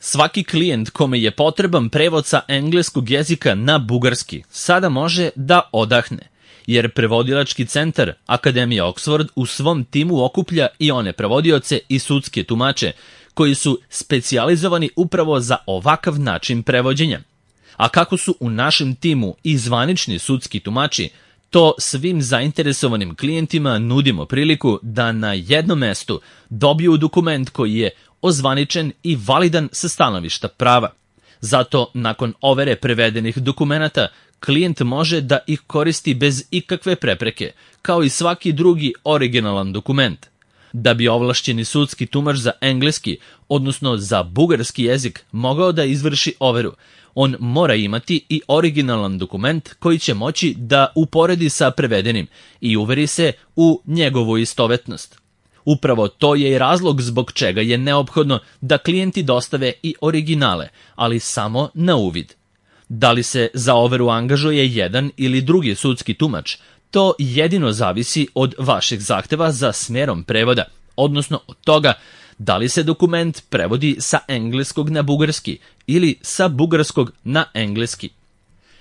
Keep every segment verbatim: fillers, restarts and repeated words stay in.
Svaki klijent kome je potreban prevod sa engleskog jezika na bugarski sada može da odahne, jer prevodilački centar Akademije Oxford u svom timu okuplja i one prevodioce i sudske tumače koji su specijalizovani upravo za ovakav način prevođenja. A kako su u našem timu i zvanični sudski tumači, to svim zainteresovanim klijentima nudimo priliku da na jednom mestu dobiju dokument koji je ozvaničen i validan sa stanovišta prava. Zato, nakon overe prevedenih dokumenata, klijent može da ih koristi bez ikakve prepreke, kao i svaki drugi originalan dokument. Da bi ovlašćeni sudski tumač za engleski, odnosno za bugarski jezik, mogao da izvrši overu, on mora imati i originalan dokument koji će moći da uporedi sa prevedenim i uveri se u njegovu istovetnost. Upravo to je i razlog zbog čega je neophodno da klijenti dostave i originale, ali samo na uvid. Da li se za overu angažuje jedan ili drugi sudski tumač, to jedino zavisi od vašeg zahteva za smerom prevoda, odnosno od toga da li se dokument prevodi sa engleskog na bugarski ili sa bugarskog na engleski.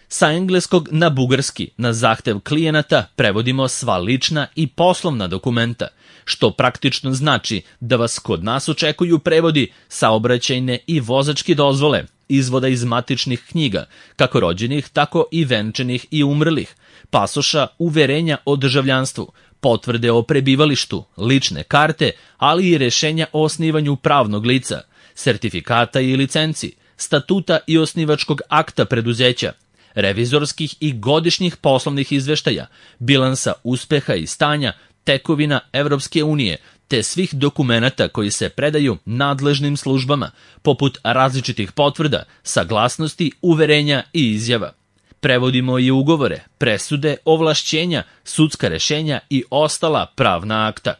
Sa engleskog na bugarski na zahtev klijenata prevodimo sva lična i poslovna dokumenta, što praktično znači da vas kod nas očekuju prevodi saobraćajne i vozačke dozvole, izvoda iz matičnih knjiga, kako rođenih, tako i venčanih i umrlih, pasoša, uverenja o državljanstvu, potvrde o prebivalištu, lične karte, ali i rešenja o osnivanju pravnog lica, sertifikata i licenci, statuta i osnivačkog akta preduzeća, revizorskih i godišnjih poslovnih izveštaja, bilansa uspeha i stanja, tekovina Evropske unije, te svih dokumenata koji se predaju nadležnim službama, poput različitih potvrda, saglasnosti, uverenja i izjava. Prevodimo i ugovore, presude, ovlašćenja, sudska rešenja i ostala pravna akta.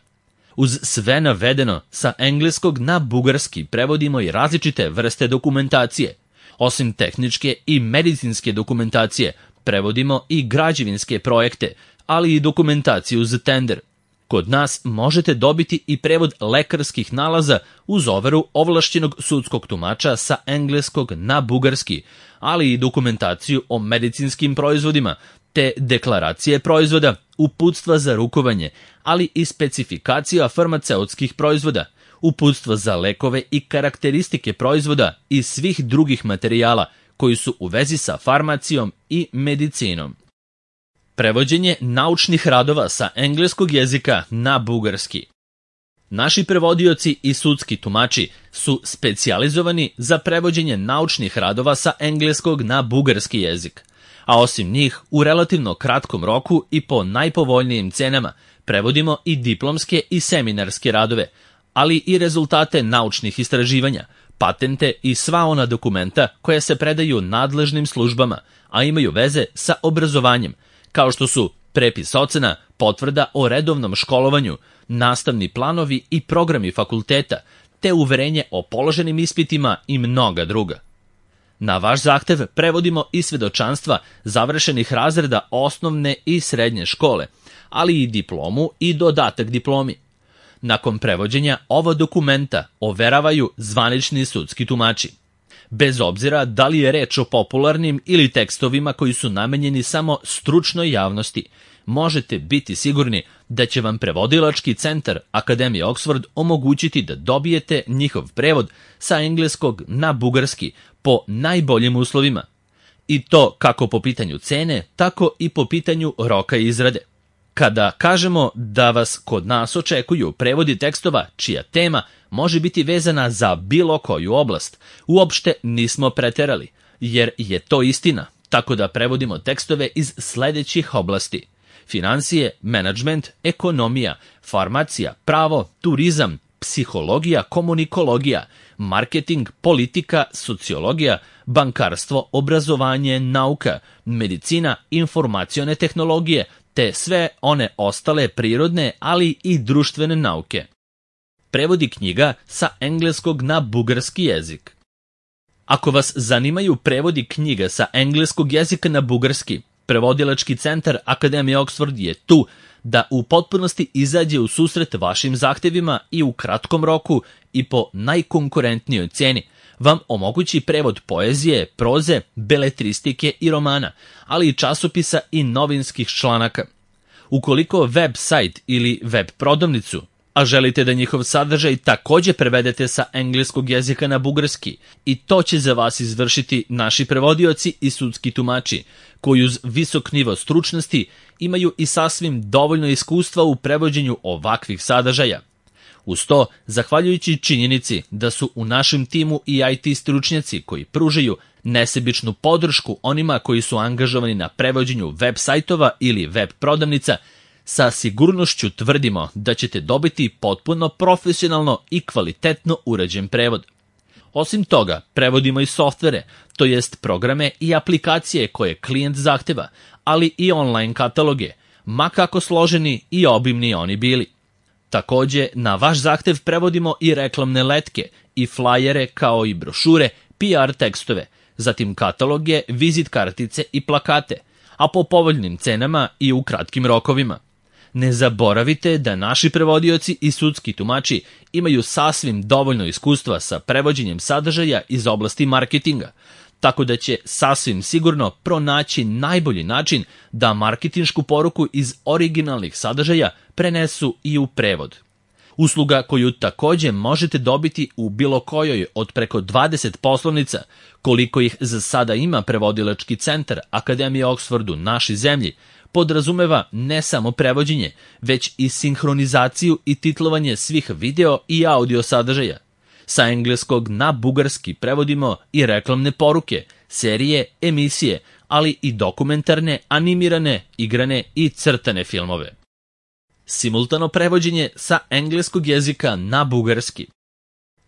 Uz sve navedeno, sa engleskog na bugarski prevodimo i različite vrste dokumentacije. Osim tehničke i medicinske dokumentacije, prevodimo i građevinske projekte, ali i dokumentaciju za tender. Kod nas možete dobiti i prevod lekarskih nalaza uz overu ovlašćenog sudskog tumača sa engleskog na bugarski, ali i dokumentaciju o medicinskim proizvodima, te deklaracije proizvoda, uputstva za rukovanje, ali i specifikacija farmaceutskih proizvoda, uputstva za lekove i karakteristike proizvoda i svih drugih materijala koji su u vezi sa farmacijom i medicinom. Prevođenje naučnih radova sa engleskog jezika na bugarski. Naši prevodioci i sudski tumači su specijalizovani za prevođenje naučnih radova sa engleskog na bugarski jezik, a osim njih u relativno kratkom roku i po najpovoljnijim cenama prevodimo i diplomske i seminarske radove, ali i rezultate naučnih istraživanja, patente i sva ona dokumenta koja se predaju nadležnim službama, a imaju veze sa obrazovanjem, kao što su prepis ocena, potvrda o redovnom školovanju, nastavni planovi i programi fakulteta, te uverenje o položenim ispitima i mnoga druga. Na vaš zahtev prevodimo i svedočanstva završenih razreda osnovne i srednje škole, ali i diplomu i dodatak diplomi. Nakon prevođenja ova dokumenta overavaju zvanični sudski tumači. Bez obzira da li je reč o popularnim ili tekstovima koji su namenjeni samo stručnoj javnosti, možete biti sigurni da će vam prevodilački centar Akademije Oxford omogućiti da dobijete njihov prevod sa engleskog na bugarski po najboljim uslovima. I to kako po pitanju cene, tako i po pitanju roka izrade. Kada kažemo da vas kod nas očekuju prevodi tekstova čija tema može biti vezana za bilo koju oblast, uopšte nismo preterali, jer je to istina, tako da prevodimo tekstove iz sledećih oblasti: finansije, menadžment, ekonomija, farmacija, pravo, turizam, psihologija, komunikologija, marketing, politika, sociologija, bankarstvo, obrazovanje, nauka, medicina, informacione tehnologije, te sve one ostale prirodne, ali i društvene nauke. Prevodi knjiga sa engleskog na bugarski jezik. Ako vas zanimaju prevodi knjiga sa engleskog jezika na bugarski, prevodilački centar Akademije Oxford je tu da u potpunosti izađe u susret vašim zahtevima i u kratkom roku i po najkonkurentnijoj ceni, vam omogući prevod poezije, proze, beletristike i romana, ali i časopisa i novinskih članaka. Ukoliko web sajt ili web prodavnicu, a želite da njihov sadržaj takođe prevedete sa engleskog jezika na bugarski, i to će za vas izvršiti naši prevodioci i sudski tumači, koji uz visok nivo stručnosti imaju i sasvim dovoljno iskustva u prevođenju ovakvih sadržaja. Uz to, zahvaljujući činjenici da su u našem timu i I T stručnjaci koji pružaju nesebičnu podršku onima koji su angažovani na prevođenju web sajtova ili web prodavnica, sa sigurnošću tvrdimo da ćete dobiti potpuno profesionalno i kvalitetno urađen prevod. Osim toga, prevodimo i softvere, to jest programe i aplikacije koje klijent zahteva, ali i online kataloge, ma kako složeni i obimni oni bili. Takođe, na vaš zahtev prevodimo i reklamne letke, i flajere kao i brošure, P R tekstove, zatim kataloge, vizit kartice i plakate, a po povoljnim cenama i u kratkim rokovima. Ne zaboravite da naši prevodioci i sudski tumači imaju sasvim dovoljno iskustva sa prevođenjem sadržaja iz oblasti marketinga, tako da će sasvim sigurno pronaći najbolji način da marketinšku poruku iz originalnih sadržaja prenesu i u prevod. Usluga koju takođe možete dobiti u bilo kojoj od preko dvadeset poslovnica, koliko ih za sada ima prevodilački centar Akademije Oxford u našoj zemlji, podrazumeva ne samo prevođenje, već i sinhronizaciju i titlovanje svih video i audio sadržaja. Sa engleskog na bugarski prevodimo i reklamne poruke, serije, emisije, ali i dokumentarne, animirane, igrane i crtane filmove. Simultano prevođenje sa engleskog jezika na bugarski.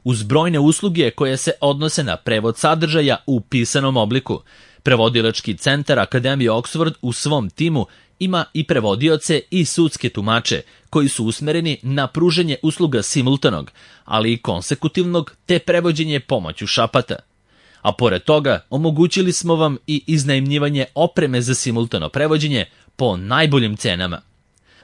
Uz brojne usluge koje se odnose na prevod sadržaja u pisanom obliku, prevodilački centar Akademije Oxford u svom timu ima i prevodioce i sudske tumače koji su usmereni na pružanje usluga simultanog, ali i konsekutivnog te prevođenje pomoću šapata. A pored toga, omogućili smo vam i iznajmljivanje opreme za simultano prevođenje po najboljim cenama.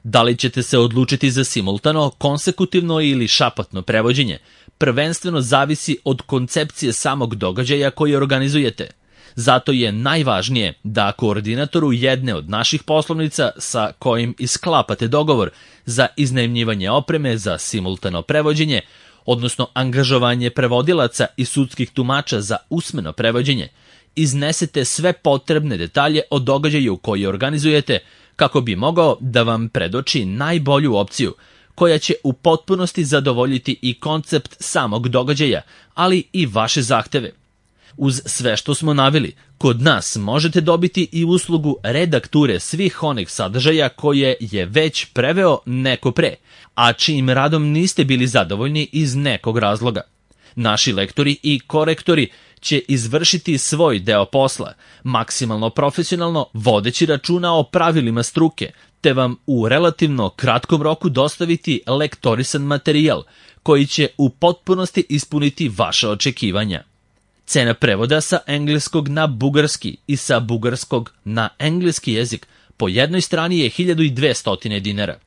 Da li ćete se odlučiti za simultano, konsekutivno ili šapatno prevođenje, prvenstveno zavisi od koncepcije samog događaja koji organizujete. Zato je najvažnije da koordinatoru jedne od naših poslovnica sa kojim isklapate dogovor za iznajmljivanje opreme za simultano prevođenje, odnosno angažovanje prevodilaca i sudskih tumača za usmeno prevođenje, iznesete sve potrebne detalje o događaju koji organizujete kako bi mogao da vam predoči najbolju opciju koja će u potpunosti zadovoljiti i koncept samog događaja, ali i vaše zahteve. Uz sve što smo naveli, kod nas možete dobiti i uslugu redakture svih onih sadržaja koje je već preveo neko pre, a čijim radom niste bili zadovoljni iz nekog razloga. Naši lektori i korektori će izvršiti svoj deo posla, maksimalno profesionalno vodeći računa o pravilima struke, te vam u relativno kratkom roku dostaviti lektorisan materijal koji će u potpunosti ispuniti vaša očekivanja. Cena prevoda sa engleskog na bugarski i sa bugarskog na engleski jezik po jednoj strani je hiljadu dvesta dinara.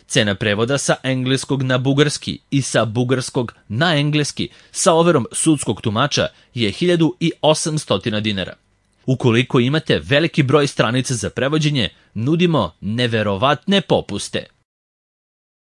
Cena prevoda sa engleskog na bugarski i sa bugarskog na engleski sa overom sudskog tumača je hiljadu osamsto dinara. Ukoliko imate veliki broj stranica za prevođenje, nudimo neverovatne popuste.